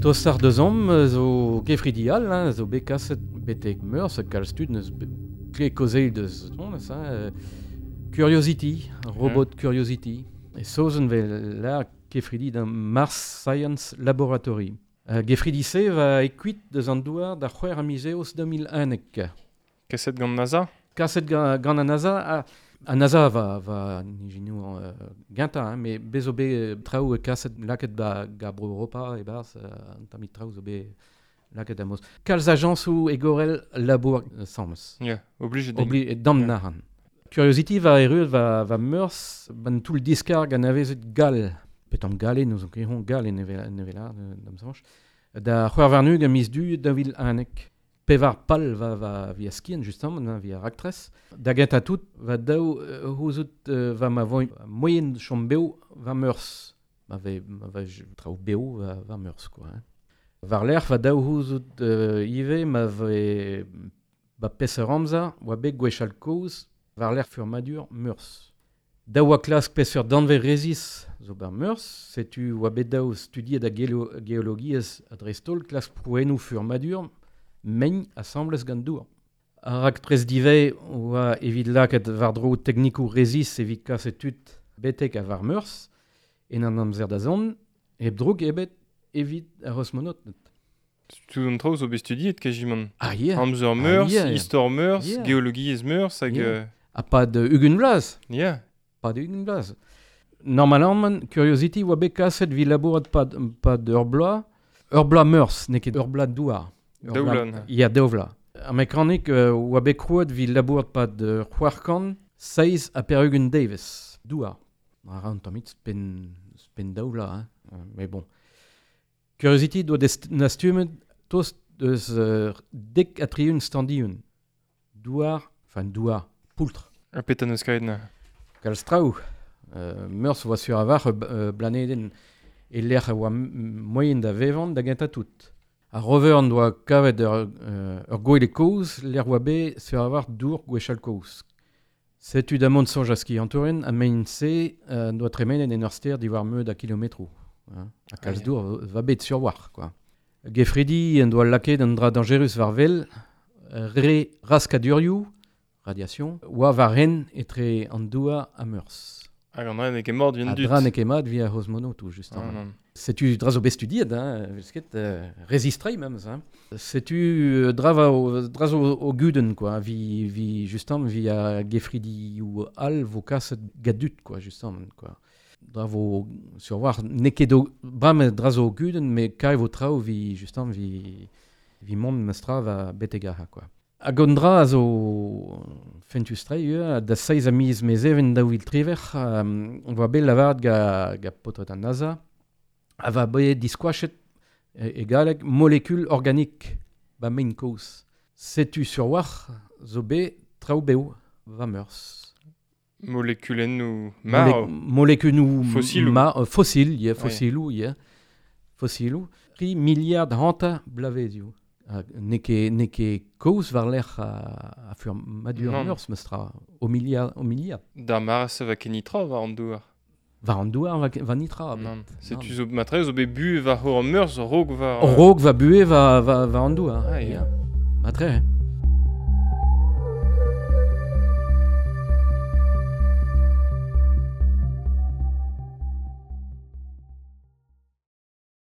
Tostoc'h deusomp zo kefridi all, hein, zo bet kaset betek Meurzh, kalz tud n'eus ket kaozeal deus honnezh, hein. Curiosity, robot Curiosity. E saozneg 'vel lâr kefridi da Mars Science Laboratory. Gefridi-se va e kuit deus an douar da c'hwec'h a miz Eost 2011. Kaset gant NASA? Kaset gant an NASA, ha an NASA va, va nijinour gentañ, hein, met bez zo bet traoù kaset lakaet ba ga Bro Europa e-barzh, un tammig traoù zo bet lakaet a-moz. Kalz ajañsoù egorel labour 'sames. Ya, oblijet int. Obli dam Yeah. nahan. Curiosity va erruet va, va Meurzh ban toull diskarg anavezet gall. Petam galle, n'ouzon ket hon gall en evel, en evel da'm soñj. Da c'hwec'h warn-ugent a miz Du 2011. Pevar pal va, va via skiant, justement, hein, via raktres. Da gentañ tout, va daou c'houzout va ma vo moien chom bev va Meurzh. Ma vez, ma vez traoù bev va, va Meurzh, quoi. Hein. War-lerc'h va daou c'houzout ivez ma vez ba peseurt amzer oa bet gwechall kozh war-lerc'h furmadur Meurzh. Daou oa klask peseurt danvez rezis zo bar Meurzh, setu oa bet daou studiet a geologiezh ha dreist-holl klask prouennoù furmadur mein asambles gant dour. Ar raktres divez oa evit lakaat war-dro teknikoù rezis evit kas tud betek a war Meurzh en an amzer da zont, hep droug ebet evit ar c'hosmonaoted. Tout an traoù zo bet studiet kajimant. Ah yeah. Amzer Ah, Meurzh, yeah. istor Meurzh, Yeah. geologiezh Meurzh hag... Yeah. Ha pad ugent vloaz. Yeah. Pad ugent vloaz. Normalement, Curiosity oa bet kaset evit labourat pad, pad ur bloaz. Ur bloaz Meurzh, n'eo ket ur bloaz douar. Ur Daou bloaz- vloaz, neuze. Ya, daou vloaz. Ar mekanik oa bet krouet evit labourat pad c'hwec'h kant seizh ha pevar-ugent devezh. Douar. A ra un tammig spen, spen daou vloaz, hein. Mais bon. Curiosity doa dastumet tost deus dek ha tri-ugent standilhon. Douar, enfin douar, poultr. Ha petra n'eus kavet neuze? Kalz traoù. Meurzh oa sur a-walc'h blanedenn e lec'h a oa moien da vevan da gentañ tout. Ar rover en doa kavet ur gwele kozh lec'h oa bet sur a-walc'h dour gwechall kozh. Setu da mont soñj a skiantourien ha mein-se en doa tremenet en ur stêr diwar meud a kilometroù. Hein. Ha kalz Ah, ya. dour va bet sur war, quoi. Gefridi en doa lakaet un dra dañjerus war wel, re raskadurioù, radiation, oa war ren etre an douar ha Meurzh. Hag an dra n'eo ket mort vient Ha dut. dra n'eo ket mat via c'hosmonaotoù, justement. Ah, non. Setu dra zo bet studiet, hein, evel ket, rezistrei memes. Hein. Setu dra, va o, dra zo o gudenn, quoi, vi, vi, justement, vi a gefridioù all vo kaset gadut, quoi, justement, quoi. Dra vo sur war, n'eo ket o, bremañ dra zo o gudenn, met kae vo traoù vi, justement, vi, vi mont mestra va betek aha, quoi. Hag an dra a zo fentus-tre ivez, da seizh a miz Mezheven 2013, on voa bet lavaret ga, ga paotred an NASA, a va bet diskoachet e galleg molekul organik ba mein kozh. Setu sur war zo bet traoù bev va Meurzh. Molekulennoù marv. Molekulennoù Fossiloù. fossil, yeah, Ouais. fossiloù, yeah. Fossiloù. Tri miliard hanter blavezioù. Ha n'eo ket, n'eo ket kozh war-lerc'h a furmadur Non. Meurzh, mestra. O miliard, o miliard. D'ar mare-se va ket nitra war an douar. War an douar va, va nitra. Non. Setu Non. zo matre zo bet bu war hor Meurzh raok war... Raok va buhez va, va, va an douar. Ah, ya. Yeah. Matre, hein.